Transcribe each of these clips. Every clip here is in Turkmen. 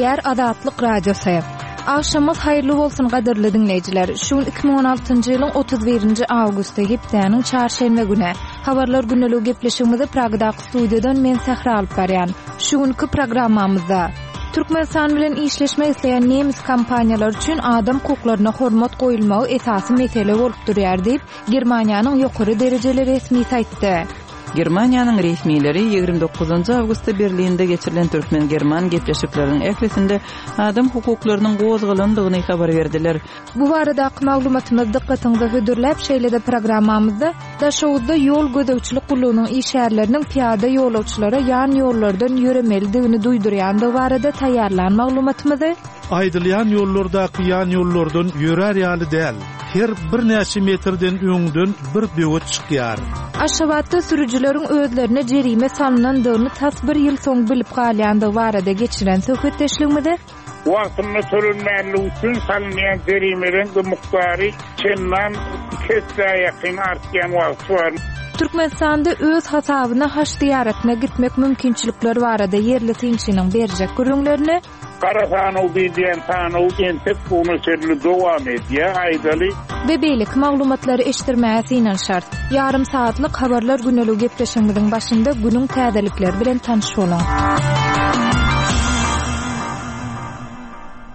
Gepleýär Azatlyk Radiosy. Agşamyňyz haýyrly bolsun gadyrly diňleýjiler. Şu gün 2016-njy ýylyň 31-nji awgusty, hepdäniň çarşenbe güni. Habarlar gündeligi gepleşigimizi Pragadaky studiýadan men Sähra alyp barýan. Şu günki programmamyzda Türkmenistan bilen işleşmek isleýän nemes kompaniýalary üçin adam hukuklaryna hormat goýulmagy esasy mesele bolup durýar diýip, Germaniýanyň ýokary derejeli resmisi aýtdy. Germaniýanyň resmileri 29 awgustda Berlinde geçirilen türkmen-german gepleşikleriniň ählisinde adam hukuklarynyň gozgalandygyny habar berdiler. Bu baradaky maglumatymyzy dykgatyňyza hödürläp, şeýle-de programmamyzda Daşoguzda ýol gözegçilik gullugynyň işgärleriniň pyýada ýolagçylara ýan ýollardan ýöremelidigini duýdurýandygy barada taýýarlan maglumatymyzy, Aýdylýan ýollardaky ýan ýollardan ýörär ýaly däl. Her birnäçe metrden öňden bir böwet çykýar. Aşgabatda sürüjileriň özlerine jerime salnandygyny tas bir ýyl soň bilip galýandygy barada geçiren söhbetdeşligimizi, Wagtynda tölenmänligi üçin salynýan jerimeleň-de mukdary çendan iki essä ýakyn artýan wagty bar. Türkmenistanda öz hasabyna haj zyýaratyna gitmek mümkinçilikleri barada ýerli synçynyň berjek gürrüňlerini, Gara sanaw diýilýän sanaw entek bu güne çenli dowam edýär, aýdaly. We beýleki maglumatlary eşitdirmäge synanyşarys. Ýarym sagatlyk Habarlar güneligi gepleşigimiziň başynda günüň täzelikleri bilen tanyş boluň.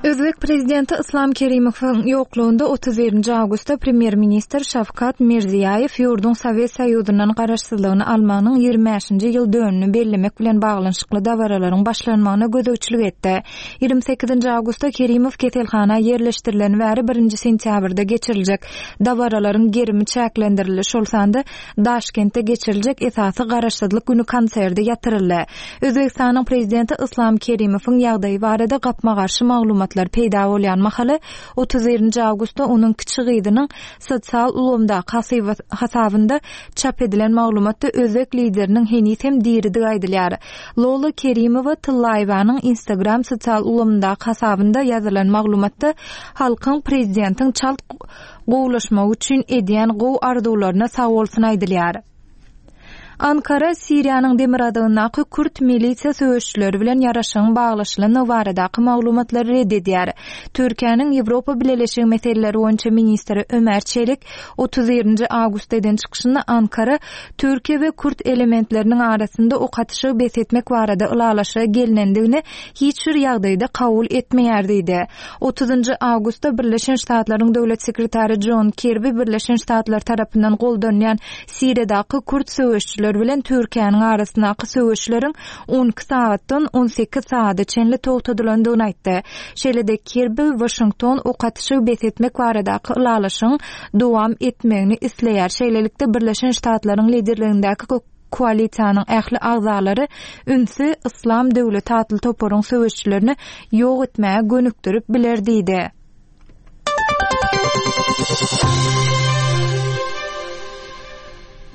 Özbek prezidenti Yslam Kerimowyň ýoklugynda 31-nji awgustda premýer-ministr Şawkat Mirziýaýew ýurduň Sowet Soýuzyndan garaşsyzlygyny almagynyň 25-nji ýyl dönümini bellemek bilen baglanyşykly dabaralaryň başlanmagyna gözegçilik etdi. 28-nji awgustda Kerimow keselhana ýerleşdirileni bäri birinji sentýabrda geçiriljek dabaralaryň gerimi çäklendirildi, şol sanda Daşkentde geçiriljek esasy Garaşsyzlyk güni konserdi ýatyryldy. Özbegistanyň prezidenti Yslam Kerimowyň ýagdaýy barada gapma-garşy maglumatlar peýda bolýan mahaly, 31-nji awgustda onuň kiçi gyzynyň sosial ulgamdaky hasabynda çap edilen maglumatda özbek lideriniň heniz hem diridigi aýdylýar. Lola Kerimowa Tyllaýewanyň Instagram sosial ulgamyndaky hasabynda ýazylan maglumatda halkyň prezidentiň çalt gowulaşmagy üçin edýän gowy arzuwlaryna sagbolsun aýdylýar. Ankara Siriýanyň demirgazygyndaky kürt milisiýa söweşijileri bilen ýaraşygyň baglaşylandygy baradaky maglumatlary red edýär. Türkiýäniň Ýewropa Bileleşigi meseleleri boýunça ministri Ömer Çelik 31-nji awgustda eden çykyşynda Ankara Türkiýe we kürt elementleriniň arasynda ok atyşygy bes etmek barada ylalaşyga gelnendigini hiç bir ýagdaýda kabul etmeýär diýdi. Otuzynjy awgustda Birleşen Ştatlaryň Döwlet sekretary Jon Kirbi Birleşen Ştatlar tarapyndan goldanýan Siriýadaky kürt söweşijiler bilen Türkiýäniň arasyndaky söweşleriň 12 sagatdan 18 sagada çenli togtadylandygyny aýtdy. Şeýle-de Kirbi Waşington ok atyşygy bes etmek baradaky ylalaşygyň dowam etmegini isleýär. Şeýlelikde, Birleşen Ştatlaryň liderligindäki Koalisiýanyň ähli agzalary ünsi Yslam döwleti atly toparyň söweşijilerini ýok etmäge gönükdirip biler diýdi.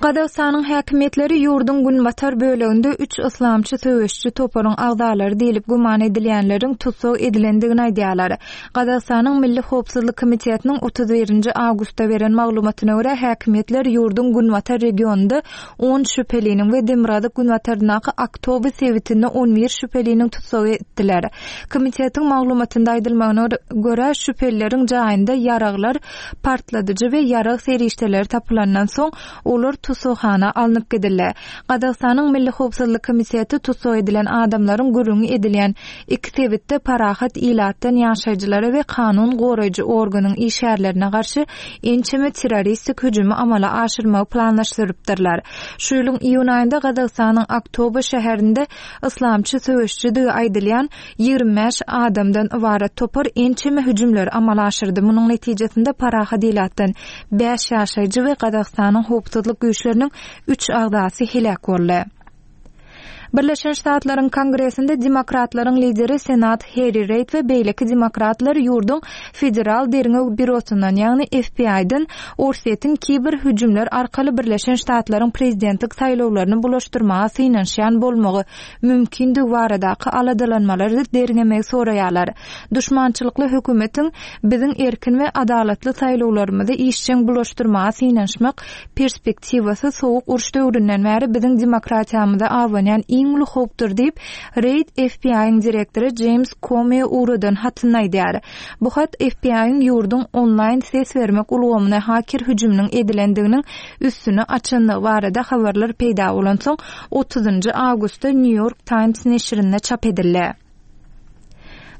Gazagystanyň häkimiýetleri ýurduň günbatar böleginde üç yslamçy söweşiji toparyň agzalary diýlip güman edilýänleriň tussag edilendigini aýdýarlar. Gazagystanyň Milli howpsuzlyk komitetiniň 31-nji awgustda beren maglumatyna görä, häkimiýetler ýurduň günbatar regionynda on şübheliniň we demirgazyk-günbataryndaky Aktobe sebitinde on bir şübheliniň tussag etdiler. Komitetiň maglumatynda aýdylmagyna görä, şübhelileriň jaýynda ýaraglar, partladyjy we ýarag serişdeleri tapylandan soň, olar tussaghana alnyp gidildi. Gazagystanyň Milli howpsuzlyk komiteti tussag edilen adamlaryň gürrüňi edilýän iki sebitde parahat ilatdan ýaşaýjylara we kanun goraýjy organyň işgärlerine garşy ençeme terroristik hüjümi amala aşyrmagy planlaşdyrypdyrlar. Şu ýylyň iýun aýynda Gazagystanyň Aktobe şäherinde yslamçy söweşijidigi aýdylýan 25 adamdan ybarat topar ençeme hüjümleri amala aşyrdy. Munuň netijesinde parahat ilatdan bäş ýaşaýjy we Gazagystanyň howpsuzlyk güýçleriniň üç agzasy heläk boldy. Birleşen Ştatlaryň Kongresinde demokratlaryň lideri Senat Harry Reid we beýleki demokratlar ýurduň Federal derňew býurosyndan, ýagny FBI-den Orsýetiň kiber hüjümler arkaly Birleşen Ştatlaryň prezidentlik saýlawlaryny bulaşdyrmaga synanyşýan bolmagy mümkindigi baradaky aladalanmalary derňemegi soraýarlar. Duşmançylykly hökümetiň biziň erkin we adalatly saýlawlarymyzy işjeň bulaşdyrmaga synanyşmak perspektiwasy sowuk uruş döwründen bäri biziň demokratiýamyza abanýan iň. iň uly howpdur diýip, Reid FBI-iň direktory Jeýms Komä ugradan hatynda aýdýar. Bu hat FBI-iň ýurduň onlaýn ses bermek ulgamyna haker hüjüminiň edilendiginiň üstüni açandygy barada habarlar peýda bolansoň, otuzynjy awgustda New York Times neşirinde çap edildi.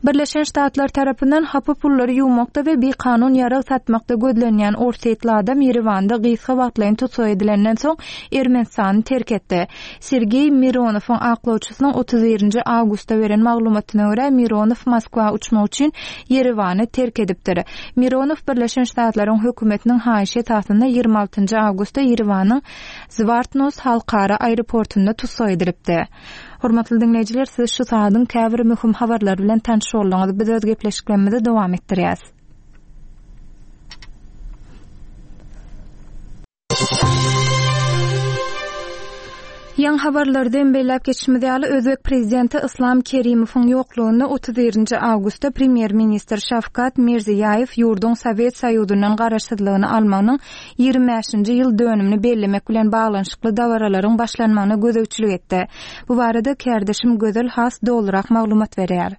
Birleşen Ştatlar tarapyndan hapa pullary ýuwmakda we bikanun ýarag satmakda gözlenýän orsýetli adam Ýerewanda gysga wagtlaýyn tussag edilenden soň Ermenistany terk etdi. Sergeý Mironowyň aklawçysynyň 31 nji awgustda beren maglumatyna görä, Mironow Moskwa uçmak üçin Ýerewany terk edipdir. Mironow Birleşen Ştatlaryň hökümetiniň haýyşy esasynda 26 njy awgustda Ýerewanyň Zwartnos halkara aeroportynda tussag edilipdi. Hormatly diňleýjiler, siz şu sagadyň käbir möhüm habarlary bilen tanyş bolduňyz. Biz öz gepleşiklerimizi dowam etdirýäs. Ýaňy habarlarda hem belläp geçişimiz ýaly, özbek prezidenti Yslam Kerimowyň ýoklugynda 31-nji awgustda premýer-ministr Şawkat Mirziýaýew ýurduň Sowet Soýuzyndan garaşsyzlygyny almagynyň 25-nji ýyl dönümini bellemek bilen baglanyşykly dabaralaryň başlanmagyna gözegçilik etdi. Bu barada kärdeşim Gözel has dolurak maglumat berýär.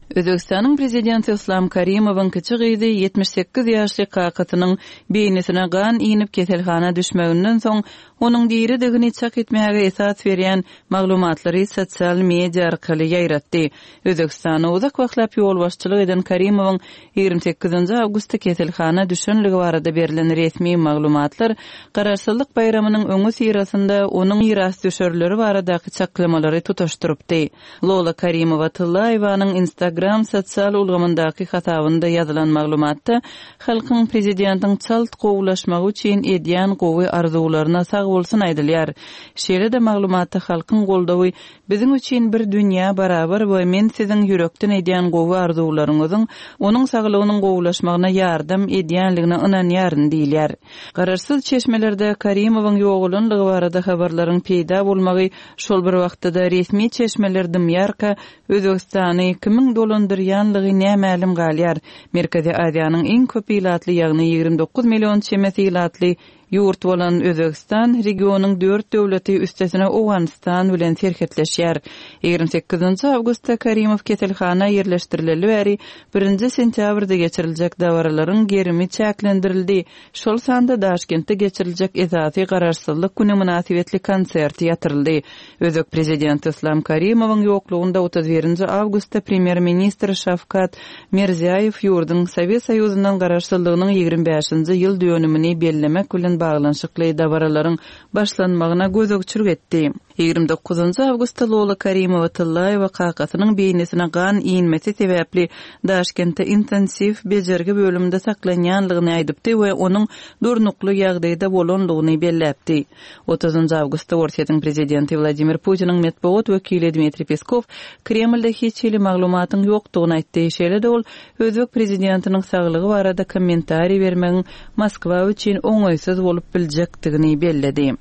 Özbegistanyň Prezidenti Yslam Karimowyň kiçi gyzy 78 ýaşly kakasynyň beýnisine gan inip keselhana düşmeginden soň, onuň diridigini çak etmäge esas berýän maglumatlary sosial media arkaly ýaýratdy. Özbegistana uzak wagtlap ýolbaşçylyk eden Karimowyň 28 awgustda keselhana düşenligi barada berlen resmi maglumatlar Garaşsyzlyk baýramynyň öňüsyrasynda onuň mirasdüşerleri baradaky çaklamalary tutaşdyrypdy. Lola Karimowa-Tyllaýewanyň Instagram sosial ulgamyndaky hasabynda ýazylan maglumatda halkyň prezidentiň çalt gowulaşmagy üçin edýän gowy arzuwlaryna sagbolsun aýdylýar. Şeýle-de maglumatda halkyň goldawy biziň üçin bir dünýä barabar we men siziň ýürekden edýän gowy arzuwlaryňyzyň onuň saglygynyň gowulaşmagyna ýardam edýänligine ynanýaryn diýilýär. Garaşsyz çeşmelerde Karimowyň ýogalanlygy barada habarlaryň peýda bolmagy Şol bir wagtda-da resmi çeşmeler dymýarka, Özbegistany kimiň dolandyrýanlygy nämälim galýar. Merkezi Aziýanyň iň köp ilatly, ýagny 29 million çemesi ilatly ýurt bolan Özbegistan regionyň dört döwleti, üstesine Owganystan bilen serhetleşýär. 28 awgustda Karimow keselhana ýerleşdirileli bäri birinji sentýabrda geçiriljek dabaralaryň gerimi çäklendirildi. Şol sanda Daşkentde geçiriljek esasy Garaşsyzlyk güni mynasybetli konsert ýatyryldy. Özbek prezidenti Yslam Karimowyň ýoklugynda 31 nji awgustda premýer-ministr Şawkat Mirziýaýew ýurduň Sowet Soýuzyndan garaşsyzlygynyň 25 nji ýyl dönümini bellemek bilen baglanyşykly dabaralaryň başlanmagyna gözegçilik etdi. 29 awgustda Lola Karimowa Tyllaýewa kakasynyň beýnisine gan inmesi sebäpli Daşkentde intensiw bejergi bölüminde saklanýanlygyny aýdypdy we onuň durnukly ýagdaýda bolanlygyny belläpdi. 30 awgustda Orsýetiň prezidenti Wladimir Putiniň metbugat wekili Dmitriý Peskow Kremlde hiç hili maglumatyň ýokdugyny aýtdy. Şeýle-de ol özbek prezidentiniň saglygy barada kommentariý bermegiň Moskwa üçin oňaýsyz bolup biljekdigini belledi.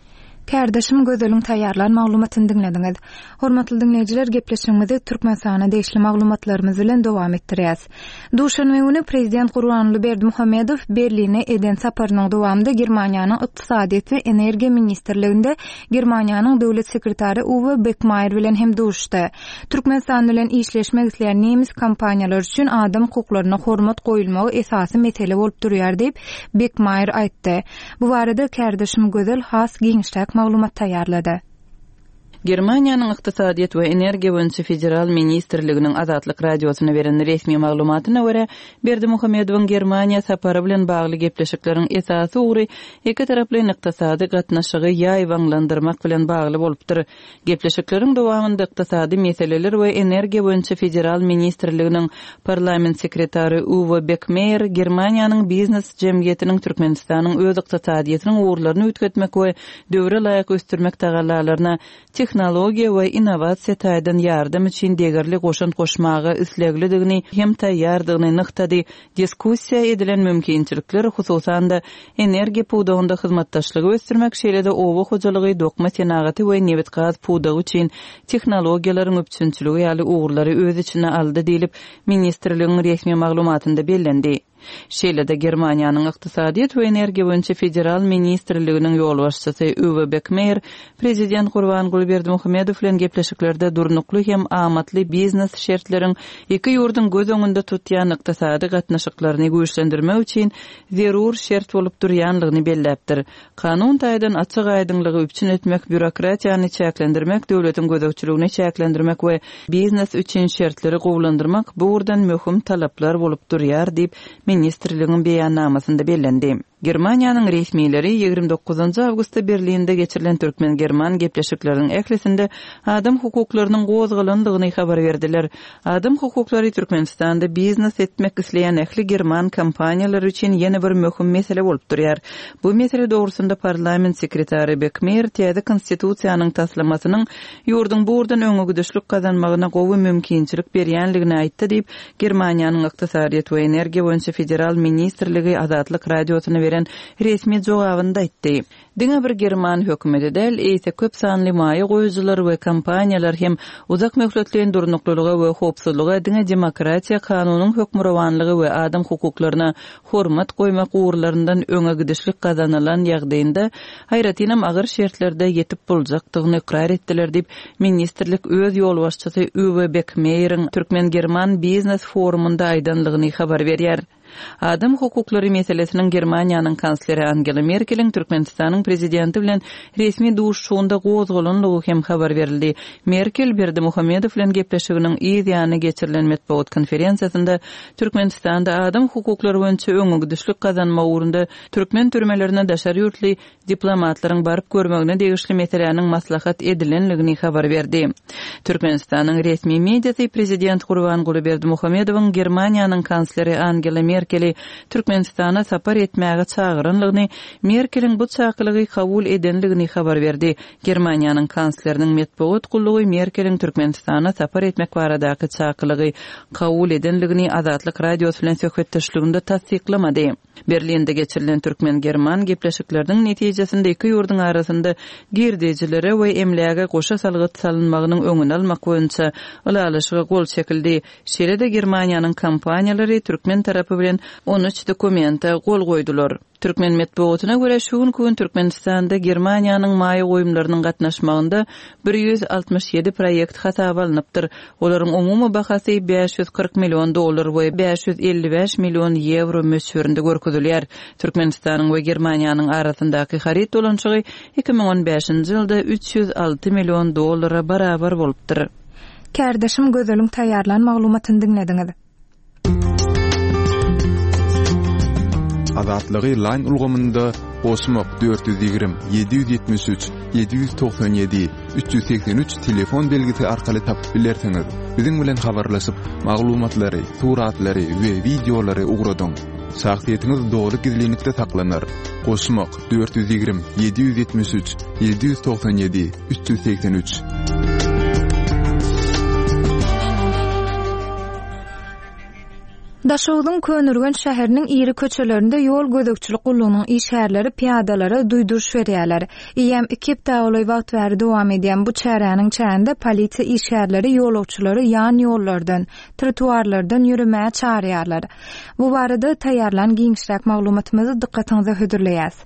Kärdeşim Gözeliň taýýarlan maglumatyny diňlediňiz. Hormatly diňleýjiler, gepleşigimizi Türkmenistana degişli maglumatlarymyz bilen dowam etdirýäs. Duşenbe güni Prezident Gurbanguly Berdimuhamedow Berline eden saparynyň dowamynda Germaniýanyň Ykdysadyýet we energiýa ministrliginde Germaniýanyň Döwlet sekretary Uwe Bekmaýer bilen hem duşuşdy. Türkmenistan bilen işleşmek isleýän nemes kompaniýalary üçin adam hukuklaryna hormat goýulmagy esasy mesele bolup durýar diýip, Bekmaýer aýtdy. Bu barada kärdeşim Gözel has giňişräk maglumat taýýarlady. Germaniýanyň Ykdysadyýet we energiýa boýunça federal ministrliginiň Azatlyk Radiosyna beren resmi maglumatyna görä, Berdimuhamedowyň Germaniýa sapary bilen bagly gepleşikleriň esasy ugry ikitaraplaýyn ykdysady gatnaşygy ýaýbaňlandyrmak bilen bagly bolupdyr. Gepleşikleriň dowamynda ykdysady meseleler we energiýa boýunça federal ministrliginiň parlament sekretary Uwe Bekmeýer Germaniýanyň biznes jemgyýetiniň Türkmenistanyň öz ykdysadyýetiniň ugurlaryny üýtgetmek we döwre laýyk ösdürmek tagallalaryna tehnologiýa we innowasiýa taýdan ýardam üçin degerli goşant goşmaga isleglidigini hem taýýardygyny nygtady Diskussiýa edilen mümkinçilikler, hususan-da, energiýa pudagynda hyzmatdaşlygy ösdürmek, şeýle-de oba hojalygy, dokma senagaty we nebit-gaz pudagy üçin tehnologiýalaryň üpjünçiligi ýaly ugurlary öz içine aldy diýlip, ministrligiň resmi maglumatynda bellendi. Şeýle-de Germaniýanyň Ykdysadyýet we energiýa boýunça federal ministrliginiň ýolbaşçysy Uwe Bekmeýer Prezident Gurbanguly Berdimuhamedow bilen gepleşiklerde durnukly hem amatly biznes şertleriň iki ýurduň göz öňünde tutýan ykdysady gatnaşyklaryny güýçlendirmek üçin zerur şert bolup durýanlygyny belläpdir. Kanun taýdan açyk-aýdyňlygy üpjün etmek, býurokratiýany çäklendirmek, döwletiň gözegçiligini çäklendirmek we biznes üçin şertleri gowulandyrmak bu ugurdan möhüm talaplar bolup durýar diýip, ministrligiň beýannamasynda bellendi. Germaniýanyň resmileri 29 awgustda Berlinde geçirilen türkmen-german gepleşikleriniň ählisinde adam hukuklarynyň gozgalandygyny habar berdiler. Adam hukuklary Türkmenistanda biznes etmek isleýän ähli german kompaniýalary üçin ýene bir möhüm mesele bolup durýar. Bu mesele dogrusynda parlament sekretary Bekmeýer täze Konstitusiýanyň taslamasynyň ýurduň bu ugurdan öňegidişlik gazanmagyna gowy mümkinçilik berýänligini aýtdy diýip, Germaniýanyň Ykdysadyýet we energiýa boýunça federal ministrligi Azatlyk Radiosyna beren resmi jogabynda aýtdy. Diňe bir german hökümeti däl, eýse köp sanly maýa goýujylar we kompaniýalar hem uzak möhletleýin durnuklylyga we howpsuzlyga diňe demokratiýa, kanunyň hökmürowanlygy we adam hukuklaryna hormat goýmak ugurlaryndan öňe gidişlik gazanylan ýagdaýynda, aýratynam agyr şertlerde ýetip boljakdygyny ykrar etdiler diýip, ministrlik öz ýolbaşçysy Uwe Bekmeýeriň türkmen-german biznes forumynda aýdanlygyny habar berýär. Adam hukuklary meselesiniň Germaniýanyň kansleri Angela Merkeliň Türkmenistanyň prezidenti bilen resmi duşuşygynda gozgalanlygy hem habar berildi. Merkel Berdimuhamedow bilen gepleşiginiň yz ýany geçirilen metbugat konferensiýasynda Türkmenistanda adam hukuklary boýunça öňegidişlik gazanmak ugrunda türkmen türmelerine daşary ýurtly diplomatlaryň baryp görmegine degişli meseläniň maslahat edilendigini habar berdi. Türkmenistanyň resmi mediasy prezident Gurbanguly Berdimuhamedowyň Germaniýanyň kansleri Angela Merkeli Türkmenistana sapar etmäge çagyranlygyny, Merkeliň bu çakylygy kabul edenligini habar berdi. Germaniýanyň kansleriniň metbugat gullugy Merkeliň Türkmenistana sapar etmek baradaky çakylygy kabul edenligini Azatlyk Radiosy bilen söhbetdeşliginde tassyklamady. Berlinde geçirilen türkmen-german gepleşikleriniň netijesinde iki ýurduň arasynda girdejilere we emläge goşa salgyt salynmagynyň öňüni almak boýunça ylalaşyga gol çekildi. Şeýle-de Germaniýanyň kompaniýalary türkmen tarapy bilen 13 dokumente gol goýdular. Türkmen metbugatyna görä, şu günki gün Türkmenistanda Germaniýanyň maýa goýumlarynyň gatnaşmagynda 167 proýekt hasaba alnypdyr. Olaryň umumy bahasy 540 million dollar we 555 million ýewro möçberinde görkezilýär. Türkmenistanyň we Germaniýanyň arasyndaky haryt dolanyşygy 2015-nji ýylda 306 million dollara barabar bolupdyr. Kärdeşim Gözeliň taýýarlan maglumatyny diňlediňiz. Azatlygy Line ulgamynda goşmak 420 773 797 383 telefon belgisi arkaly tapyp bilersiňiz. Biziň bilen habarlaşyp, maglumatlary, suratlary we wideolary ugradyň. Şahsyýetiňiz doly gizlinlikde saklanar. Goşmak 420 773 797 383. Daşogzuň Köneürgenç şäheriniň iri köçelerinde ýol gözegçilik gullugynyň işgärleri pyýadalara duýduryş berýärler. Eýýäm iki hepdä golaý wagt bäri dowam edýän bu çäräniň çäginde polisiýa işgärleri ýolagçylary ýan ýollardan, trotuarlardan ýöremäge çagyrýarlar. Bu barada taýýarlan giňişräk maglumatymyzy dykgatyňyza hödürleýäs.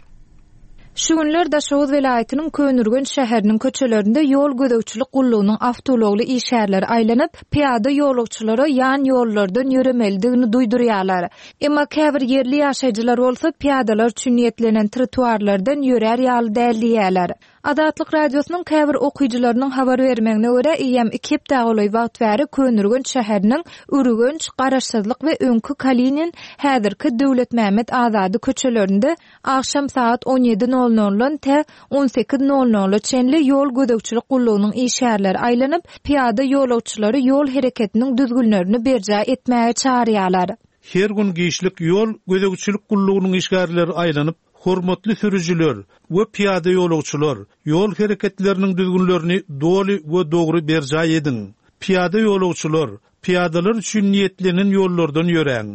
Şu günler Daşoguz welaýatynyň Köneürgenç şäheriniň köçelerinde ýol gözegçilik gullugynyň awtoulagly işgärleri aýlanyp, pyýada ýolagçylara ýan ýollardan ýöremelidigini duýdurýarlar. Emma käbir ýerli ýaşaýjylar bolsa pyýadalar üçin niýetlenen trotuarlardan ýörär ýaly däl diýýärler. Azatlyk Radiosynyň käbir okyjylarynyň habar bermegine görä, eýýäm iki hepdä golaý wagt bäri Köneürgenç şäheriniň Ürgenç, Garaşsyzlyk we öňki Kalinin, häzirki Döwletmämmet Azady köçelerinde agşam sagat on ýedi nol noldan tä on sekiz nol nola çenli ýol gözegçilik gullugynyň işgärleri aýlanyp, pyýada ýolagçylary ýol hereketiniň düzgünlerini berjaý etmäge çagyrýarlar. Her gün giçlik ýol gözegçilik gullugynyň işgärleri aýlanyp, Hormatly sürüjiler we pyýada ýolagçylar, ýol hereketleriniň düzgünlerini doly we dogry berjaý ediň! Pyýada ýolagçylar, pyýadalar üçin niýetlenen ýollardan ýöräň!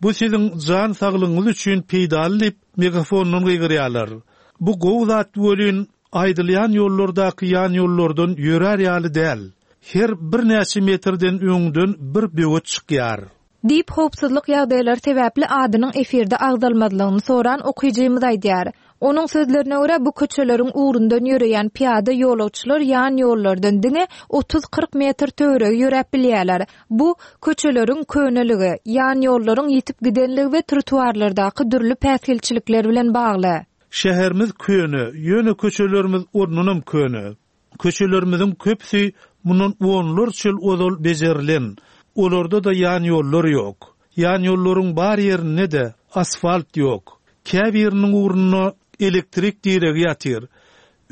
Bu siziň jan saglygyňyz üçin peýdaly diýip, megafondan gygyrýarlar. Bu gowy zat welin, aýdylýan ýollardaky ýan ýollardan ýörär ýaly däl. Her birnäçe metrden öňden bir böwet çykýar. Diýip, howpsuzlyk ýagdaýlary sebäpli adynyň efirde agzalmazlygyny soran okyjymyz aýdýar. Onuň sözlerine görä, bu köçeleriň ugrundan ýöreýän pyýada ýolagçylar ýan ýollardan diňe otuz-kyrk metr töweregi ýöräp bilýärler. Bu, köçeleriň köneligi, ýan ýollaryň ýitip gidenligi we trotuarlardaky dürli päsgelçilikler bilen bagly. Şäherimiz köne, ýöne köçelerimiz ondanam köne. Köçelerimiziň köpüsi mundan onlarça ýyl ozal bejerilen, olarda-da ýanýollar ýok. Ýanýollaryň bar ýerinde-de asfalt ýok. Käbiriniň ugrunda elektrik diregi ýatyr.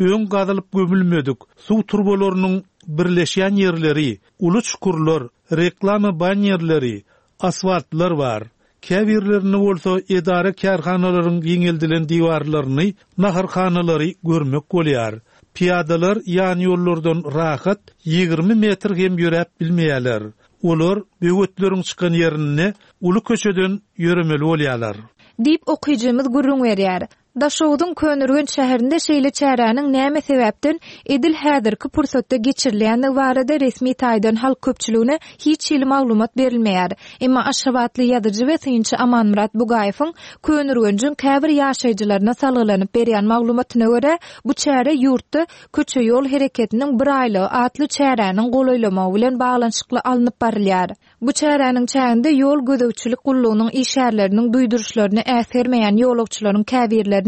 Öň gazylyp gömülmedik suw turbalarynyň birleşýän ýerleri, uly çukurlar, reklama bannerleri, asfaltlar bar. Käbirlerinde bolsa edara-kärhanalaryň giňeldilen diwarlaryny, naharhanalary görmek bolýar. Pyýadalar ýanýollardan rahat 20 metr hem ýöräp bilmeýärler. Olar böwetleriň çykan ýerinde uly köçeden ýöremeli bolýarlar. Diýip, okyjymyz gürrüň berýär. Daşoguzyň Köneürgenç şäherinde şeýle çäräniň näme sebäpden edil häzirki pursatda geçirilýändigi barada resmi taýdan halk köpçüligine hiç hili maglumat berilmeýär. Emma aşgabatly ýazyjy we synçy Amanmyrat Bugaýewiň Köneürgenjiň käbir ýaşaýjylaryna salgylanyp berýän maglumatyna görä, bu çäre ýurtda Köçe-ýol hereketiniň bir aýlygy atly çäräniň golaýlamagy bilen baglanyşykly alnyp barylýar. Bu çäräniň çäginde ýol gözegçilik gullugynyň işgärleriniň duýduryşlaryny äsgermeýän ýolagçylaryň käbirlerine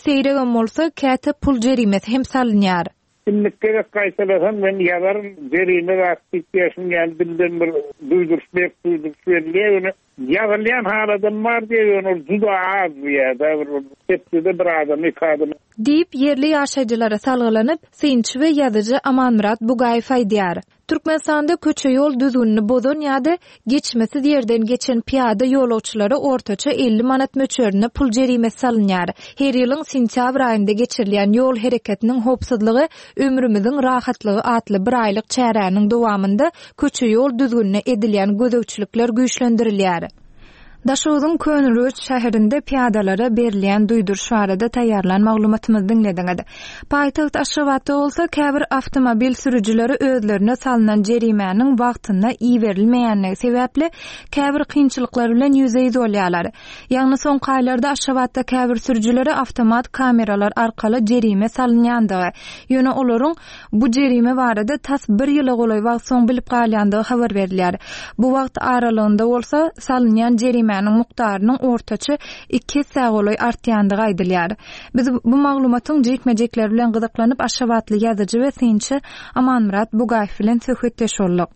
seýregem bolsa, käte pul jerimesi hem salynýar. Indiki gezek gaýtalasam men ýazaryn jerime zat diýip ýa şuň ýaly dilden bir duýduryş berk duýduryş berilýär ýöne ýazylýan haladam bar diýýär ýöne ol juda az diýýär-de bir hepdede bir adama iki adama. Diýip, ýerli ýaşaýjylara salgylanyp, synçy we ýazyjy Amanmyrat Bugaýew aýdýar. Türkmenistanda köçe-ýol düzgünini bozan ýa-da geçmesiz ýerden geçen pyýada ýolagçylara ortaça 50 manat möçberinde pul jerimesi salynýar. Her ýylyň sentýabr aýynda geçirilýän Ýol hereketiniň howpsuzlygy, ömrümiziň rahatlygy atly biraýlyk çäräniň dowamynda köçe-ýol düzgünine edilýän gözegçilikler güýçlendirilýär. Daşoguzyň Köneürgenç şäherinde pyýadalara berilýän duýduryş barada taýýarlan maglumatymyzy diňlediňiz. Paýtagt Aşgabatda bolsa käbir awtomobil sürüjileri özlerine salnan jerimäniň wagtynda iberilmeýänligi sebäpli käbir kynçylyklar bilen ýüzbe-ýüz bolýarlar. Ýagny soňky aýlarda Aşgabatda käbir sürüjilere awtomat kameralar arkaly jerime salynýandygy, ýöne olaryň Bu jerime barada tas bir ýyla golaý wagt soň bilip galýandygy habar berilýär. Bu wagt aralygynda bolsa, salynýan jerimäniň mukdarynyň ortaça iki essä golaý artýandygy aýdylýar. Biz bu maglumatyň jikme-jikleri bilen gyzyklanyp, aşgabatly ýazyjy we synçy Amanmyrat Bugaýew bilen söhbetdeş bolduk.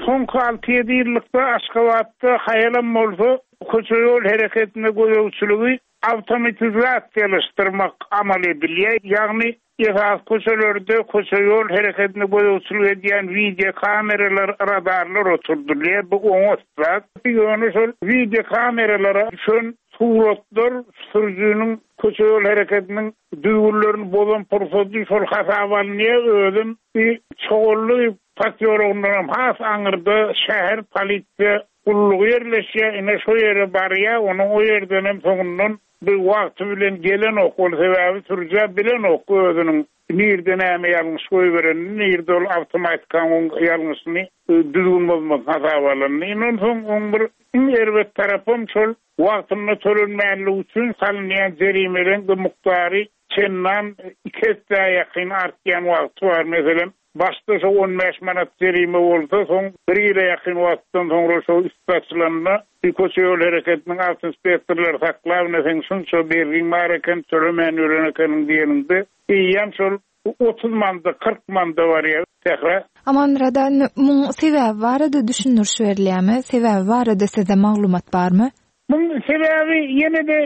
Soňky alty-ýedi ýyllykda Aşgabatda haýalam bolsa köçe-ýol hereketine gözegçiligi awtomatizasiýalaşdyrmak amal edilýär, ýagny esasy köçelerde köçe-ýol hereketine gözegçilik edýän wideokameralar, radarlar oturdylýar. Bu oňat zat. Ýöne şol wideokameralara düşen suratlar sürüjiniň köçe-ýol hereketiniň düzgünlerini bozan pursady şol hasaba alynýar, özem bir Çogully posýologyndanam has aňyrda şäher polisiýa Gullugy ýerleşýär, ine şo ýere barýar, onuň o ýerdenem soňundan bir wagty bilen gelenok, ol sebäbi sürüjä bilenok özüniň nirde näme ýalňyş goýberenini, nirde ol awtomatikaň oň ýalňyşyny düzgün bozmasyny hasaba alanyny. Ine onsoň oň bir iň erbet tarapam şol wagtynda tölenmänligi üçin salynýan jerimeleň-de mukdary çendan iki essä ýakyn artýan wagty bar. Meselem, Başda şo on bäş manat jerime bolsa, soň bir ýyla ýakyn wagtdan soňra şo üsti açylanda, bir köçe-ýol hereketiniň awtoinspektorlary saklap, ine seň şunça bergiň bar eken, tölemän ýören ekeniň diýeninde, eýýäm şol 30 manada, 40 manada barýar. Sähra. Amanmyrat aga, indi muň sebäbi barada düşündiriş berilýärmi? Sebäbi barada sizde maglumat barmy? Muň sebäbi ýene-de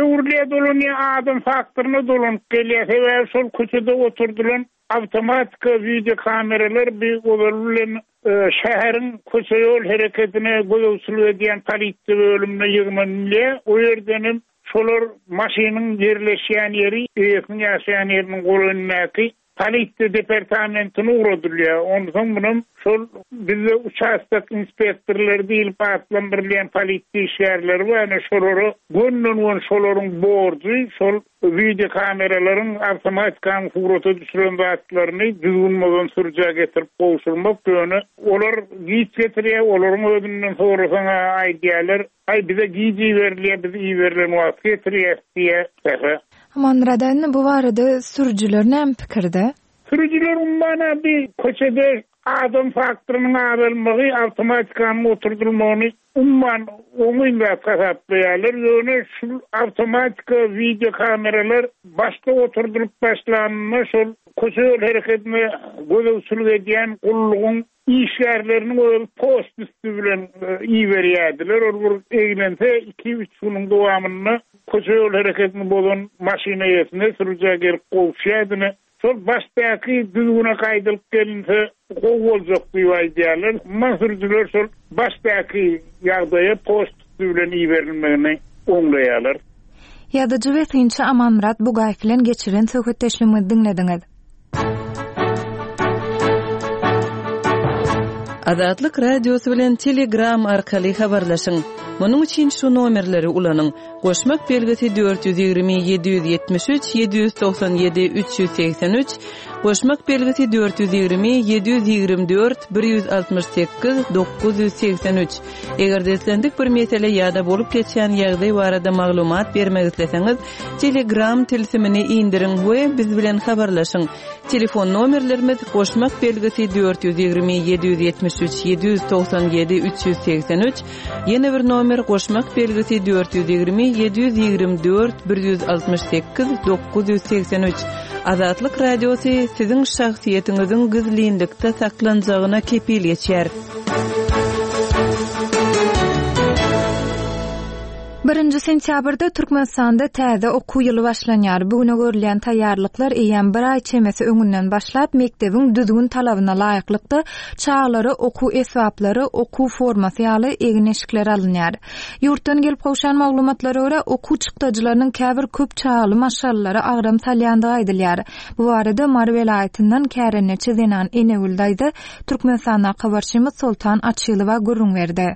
öwrülýär dolanýar, adam faktoryna dolanyp gelýär. Sebäbi şol köçede oturdylan Awtomatika wideokameralar bi ozaly bilen şäheriň köçe-ýol hereketine gözegçilik edýän polisiýa bölümine ýygnanylýar. O ýerden hem şolar maşynyň ýerleşýän ýeri, eýesiniň ýaşaýan ýeriniň golaýyndaky. Polisiýa departamentine ugradylýar. Onsoň munam şol bizde uçastok inspektorlary diýlip atlandyrylýan polisiýa işgärleri bar, ine şolara gönden-göni şolaryň borjy şol wideokameralaryň, awtomatikanyň surata düşüren zatlaryny düzgün bozan sürüjä getirip gowşurmak. Ýöne olar giç getirýär, olaryň özünden sorasaň-a aýdýarlar, Aý bize giç iberilýär, biz iberilen wagty getirýäs diýýär. Sähra. Amanmyrat indi bu barada sürüjiler näme pikirde? Sürüjiler umuman-a bi köçede adam faktorynyň azalmagy, awtomatikanyň oturdylmagyny umuman oňyn zat hasaplaýarlar. Ýöne şul awtomatika, wideo kameralar başda oturdylyp başlanynda şol köçe-ýol herekedine gözegçilik edýän gullugyň Işgärleriniň özi poçta üsti bilen iberýärdiler. Ol bir eglense, iki-üç günüň dowamynda köçe-ýol hereketini bozan maşyn eýesine, sürüjä gelip gowuşýardy. Ine, şol başdaky düzgüne gaýdylyp gelinse gowy boljak diýip aýdýarlar. Umuman, sürüjiler şol başdaky ýagdaýa poçta üsti bilen iberilmegini oňlaýarlar. Ýazyjy we synçy Amanmyrat Bugaýew bilen geçiren söhbetdeşligimizi diňlediňiz. Azatlyk Radiosy bilen Telegram arkaly habarlaşyň. Munuň üçin şu nomerleri ulanyň, goşmak belgisi 420 773 797 383, goşmak belgisi 420 724 168 983. Eger-de islendik bir mesele ýa-da bolup geçýän ýagdaý barada maglumat bermek isleseňiz, Telegram tilsimini indiriň we biz bilen habarlaşyň. Telefon nomerlerimiz, goşmak belgisi 420 773 797 383, ýene bir nomer goşmak belgisi 420 724 168 983. Azatlyk Radiosy siziň şahsyýetiňiziň gizlinlikde saklanjagyna kepil geçýär. Birinji sentýabrda Türkmenistanda täze okuw ýyly başlanýar. Bu güne görülýän taýýarlyklar eýýäm bir aý çemesi öňünden başlap, mekdebiň düzgün-talabyna laýyklykda, çagalara okuw esbaplary, okuw formasy ýaly egin-eşikler alynýar. Ýurtdan gelip gowşan maglumatlara görä, okuw çykdajylarynyň käbir köp çagaly maşgalalara agram salýandygy aýdylýar. Bu barada Mary welaýatyndan kärendeçi zenan Enegül daýza Türkmenistandaky habarçymyz Soltan Açylowa gürrüň berdi.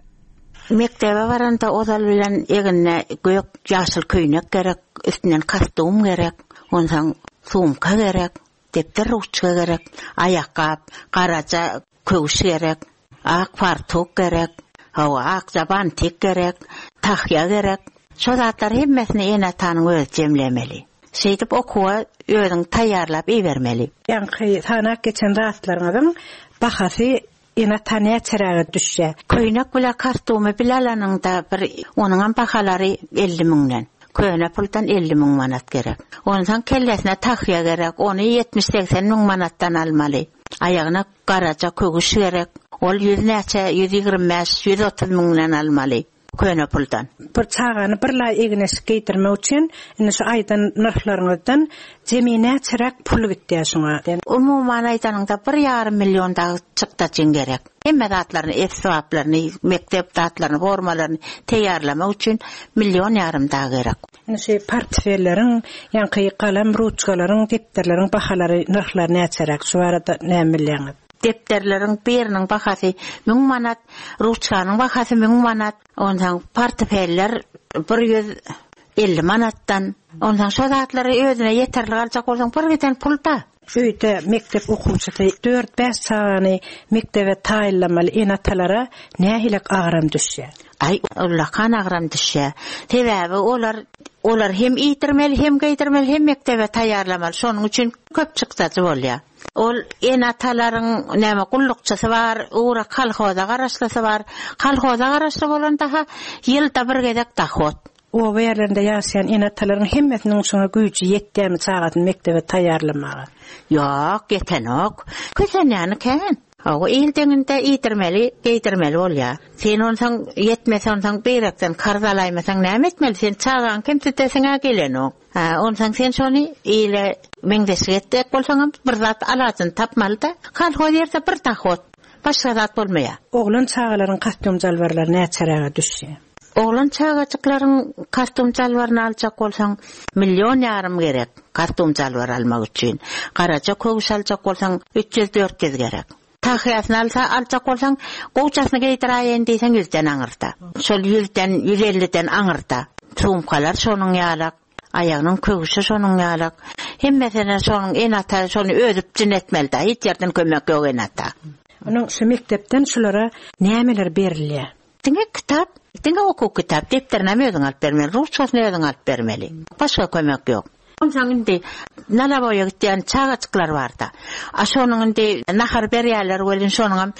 Mekdebe baranda ozal bilen egnine gök, ýaşyl köýnek gerek, üstünden kostum gerek, onsoň sumka gerek, depder ruçka gerek, aýakgap, garaja köwüş gerek, ak fartuk gerek, hawa, akja bantik gerek, tahýa gerek. Şo zatlary hemmesini ene-atanyň özi jemlemeli. Şeýdip okuwa özüň taýýarlap ibermeli. Ýaňky sanap geçen zatlaryňyzyň bahasy Ene-ata näçeräge düşýär? Köýnek bile kostumy bile alanyňda bir onuňam bahalary 50 müňden. Köne puldan 50 müň manat gerek. Onsoň kellesine tahýa gerek, ony ýetmiş-segsen müň manatdan almaly. Aýagyna garaja köwüş gerek, ol ýüz näçe, 125, 130 müňden almaly. Köne puldan. Bir çagany bir laý egin-eşik geýdirmek üçin indi şu aýdan nyrhlaryňyzdan jemi näçeräk pul gitýär şuňa? Umuman aýdanyňda bir ýarym million dagy çykdajyň gerek. Hemme zatlaryny, esbaplaryny, mekdep zatlaryny, formalaryny teýýarlamak üçin million ýarym dagy gerek. Indi şu portfelleriň, ýaňky galam, ruçkalaryň, depderleriň bahalary, nyrhlary näçeräk? Şu barada näme bilýäňiz? Depderleriň biriniň bahasy müň manat, ruçkanyň bahasy müň manat, onsoň portfeller 150 manatdan. Onsoň şo zatlary özüne ýeterlik aljak bolsaň bir giden pul-da. Öýde mekdep okuwçysy dört-bäş çagany mekdebe taýynlamaly ene-atalara nähilek agram düşýär? Aý, ullakan agram düşýär. Sebäbi olar olar hem iýdirmeli, hem geýdirmeli, hem mekdebe taýýarlamaly. Şonuň üçin köp çykdajy bolýar. Ol ene-atalaryň näme gullukçysy bar, ugra kolhoza garaşlysy bar. Kolhoza garaşly bolanda-ha ýylda bir gezek dohod. Oba ýerlerinde ýaşaýan ene-atalaryň hemmesiniň şoňa güýji ýetýärmi çagasyny mekdebe taýýarlamaga? Ýok, ýetenok. Kösenýäni kän. Hawa, il deňinde iýdirmeli, geýdirmeli bolýar. Sen onsoň ýetmese onsoň beýrekden karz alaýmasaň näme etmeli? Sen çagaňy kemsidesiň-ä gelenok. Hä, onsoň sen şony ile meňzeşlik etjek bolsaňam bir zat alajyny tapmaly-da. Kolhoz ýerde bir dohod. Başga zat bolmaýar. Oglan çagalaryň kostýum-jalbarlary näçeräge düşýär? Oglan çagajyklaryň kostýum-jalbaryny aljak bolsaň, million ýarym gerek. Kostum-jalbar almak üçin. Garaja köwüş aljak bolsaň, 300-400 gerek. Tahýasyny alsa, aljak bolsaň, gowjasyny geýdiräýeýin diýseň ýüzden aňyrda. Şol ýüzden, ýüz elliden aňyrda. Sumkalar şonuň ýalak, aýagynyň köwşi şonuň ýalak. Hemmesine şonuň ene-ata şony özi üpjün etmeli-dä, hiç ýerden kömek ýok ene-ata. Onuň şu mekdepden şulara nämeler berilýär? Diňe kitap, diňe okuw kitap, depderinem özüň alyp bermeli, ruçkasyny özüň alyp bermeli. Başga kömek ýok. Onsoň indi nalaboýa gitýän çagajyklar bar-da. A şonuň indi nahar berýärler welin şonuňam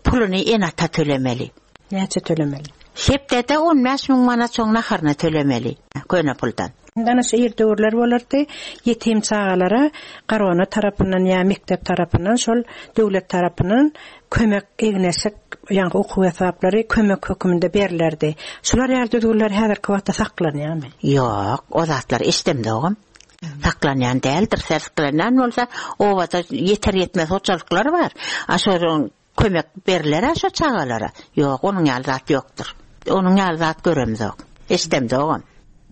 puluny ene-ata tölemeli. Näçe tölemeli? Hepdede 15 müň manat şoň naharyna tölemeli, köne puldan. Indi ana şu ir döwürler bolardy, ýetim çagalara Garona tarapyndan ýa mekdep tarapyndan şol döwlet tarapyndan kömek egin-eşik, ýaňky okuw esbaplary kömek höküminde berlerdi. Şular ýaly düzgünler häzirki wagtda saklanýarmy? Ýok, o zatlary eşidemzogam. Saklanýan däldir. Saklanýan bolsa, obada ýeter-ýetmez hojalyklar bar. A şolaryň kömek berler-ä şo çagalara. Ýok, onuň ýaly zat ýokdur. Onuň ýaly zat göremzok. Eşidemzogam.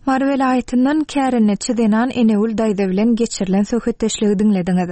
Mary welaýatyndan kärendeçi zenan Enegül daýza bilen geçirilen söhbetdeşligi diňlediňiz.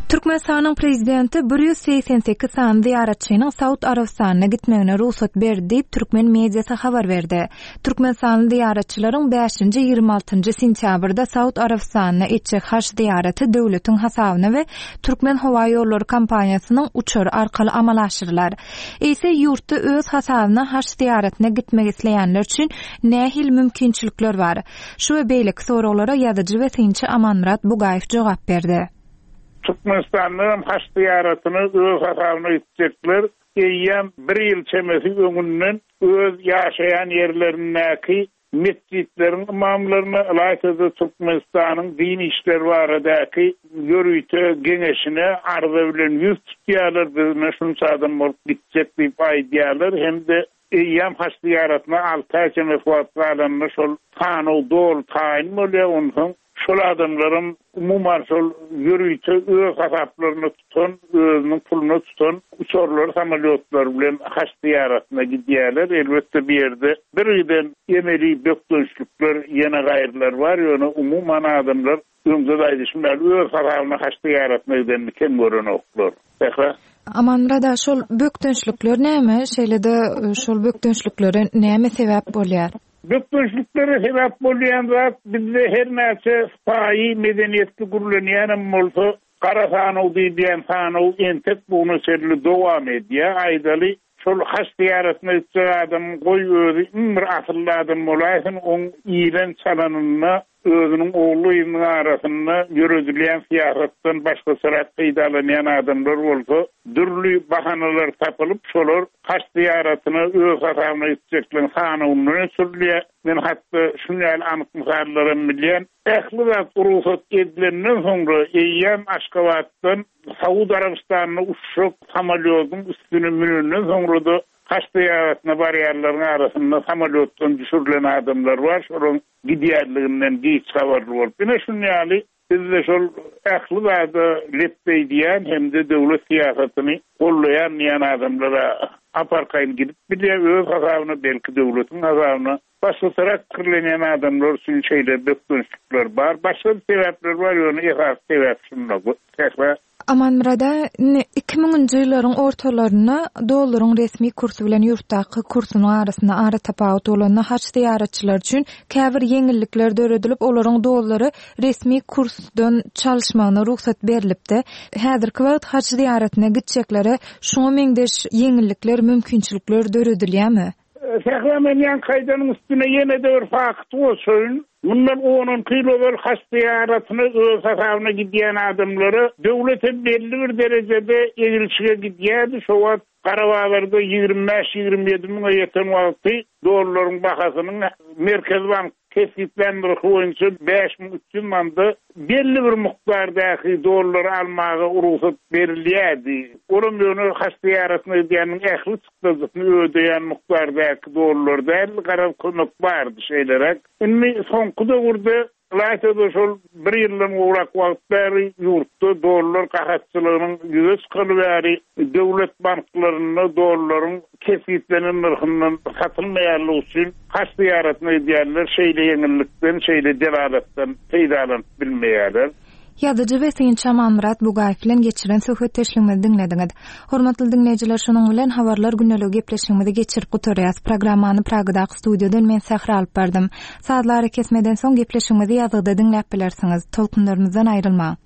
Türkmenistanyň Prezidenti 188 sany zyýaratçynyň Saud Arabystanyna gitmegine rugsat berdi diýip, türkmen mediasy habar berdi. Türkmenistanly zyýaratçylaryň bäşinji, 26-njy sentýabrda Saud Arabystanyna etjek haj zyýaraty döwletiň hasabyna we Türkmenhowaýollary kompaniýasynyň uçary arkaly amala aşyrylar. Eýse, ýurtda öz hasabyna haj zyýaratyna gitmek isleýänler üçin nähili mümkinçilikler bar? Şu we beýleki soraglara ýazyjy we synçy Amanmyrat Bugaýew jogap berdi. Türkmenistanda hem haj zyýaratyna öz hasabyna gitjekler eýýäm bir ýyl çemesi öňünden öz ýaşaýan ýerlerindäki Metjitleriň ymamlaryna, ylaýta-da Türkmenistanyň din işleri baradaky ýörite geňeşine arza bilen ýüz tutýarlar, biz ine şunça adam bolup gitjek diýip aýdýarlar hem-de eýýäm haj zyýaratyna alty aý çemesi wagt galanda şol sanaw doly taýyn bolýar, onsoň Şol adamlaram umuman şol ýörite öz hasaplaryna tutan, özüniň puluna tutan uçarlary, samolýotlary bilen haç zyýaratyna gidýärler. Elbetde bu ýerde birgiden emeli bökdençlikler, ýene gaýrylar bar, ýöne umuman adamlar öňde-de aýdyşym ýaly öz hasabyna haç zyýaratyna gidenini kem görenoklar. Sähra. Amanmyrat aga, şol bökdençlikler näme? Şeýle-de şol bökdençliklere näme sebäp bolýar? Bökdençliklere sebäp bolýan zat bizde her näçe sypaýy, medeniýetli gürlenýänem bolsa, gara sanaw diýilýän sanaw entek bu güne çenli dowam edýär. Aýdaly, şol haç zyýaratyna gitjek adamyň goý özi iň bir asylly adam bolaýsyn, oň iýlen-çalanynda Özüniň ogly-gyzynyň arasynda ýöredilýän syýasatdan başgaçarak peýdalanýan adamlar bolsa, dürli bahanalar tapylyp, şolar haç zyýaratyna öz hasabyna gitjekleriň sanawyndan öçürilýär. Men hatda şuny ýaly anyk mysallaram bilýän. Ähli zat rugsat edilenden soňra, eýýäm Aşgabatdan Saud Arabystanyna uçjak samolýodyň üstüne münenden soňra-da haç zyýaratyna barýanlaryň arasynda samolýotdan düşürilen adamlar bar. Şolaryň gidýänliginden giç habarly bolup, ine şuny ýaly bizde şol ähli zada lepbeý diýýän hem-de döwlet syýasatyny gollaýan diýýän adamlar-a ap-arkaýyn gidip bilýär öz hasabyna, belki döwletiň hasabyna. Başgaçarak pikirlenýän adamlar üçin şeýle bökdençlikler bar. Başga-da sebäpler bar, ýöne esasy sebäp şunda. Sähra. Amanmyrada, indi iki müňünji ýyllaryň ortalarynda dollaryň resmi kursy bilen ýurtdaky kursunyň arasynda aratapawut bolanda haj zyýaratçylary üçin käbir ýeňillikler döredilip, olaryň dollary resmi kursdan çalyşmagyna rugsat berlipdi. Häzirki wagt haj zyýaratyna gitjeklere şuňa meňzeş ýeňillikler, mümkinçilikler döredilýärmi? Sähra men ýaňky aýdanyň üstüne ýene-de bir fakty goşaýyn. Mundan on-onki ýyl ozal haç zyýaratyna öz hasabyna gidýän adamlara döwlet hem belli bir derejede egilşige gidýärdi. Şo wagt gara bazarda 25-27 müňe ýeten wagty dollaryň bahasynyň Merkezi bank kesgitlän nyrhy boýunça 5300 manda belli bir mukdardaky dollary almaga rugsat berilýärdi. Olam ýöne haç zyýaratyna gidýäniň ähli çykdajysyny ödeýän mukdardaky dollar däldi, garaz kömek bardy şeýleräk. Indi soňky döwürde. Ylaýta-da şol bir ýyldan gowrak wagt bäri ýurtda dollar gahatçylygynyň ýüze çykaly bäri döwlet banklarynda dollaryň kesgitlenen nyrhyndan satylmaýanlygy üçin haj zyýaratyna gidýänler şeýle ýeňillikden, şeýle delalatdan peýdalanyp bilmeýärler. Ýazyjy we synçy Amanmyrat Bugaýew bilen geçiren söhbetdeşligimizi diňlediňiz. Hormatly diňleýjiler şunuň bilen Habarlar gündeligi gepleşigimizi geçirip gutarýas. Programmany Pragadaky studiýadan men Sähra alyp bardym. Sazly arakesmeden soň gepleşigimizi ýazgyda diňläp bilersiňiz. Tolkunlarymyzdan aýrylmaň.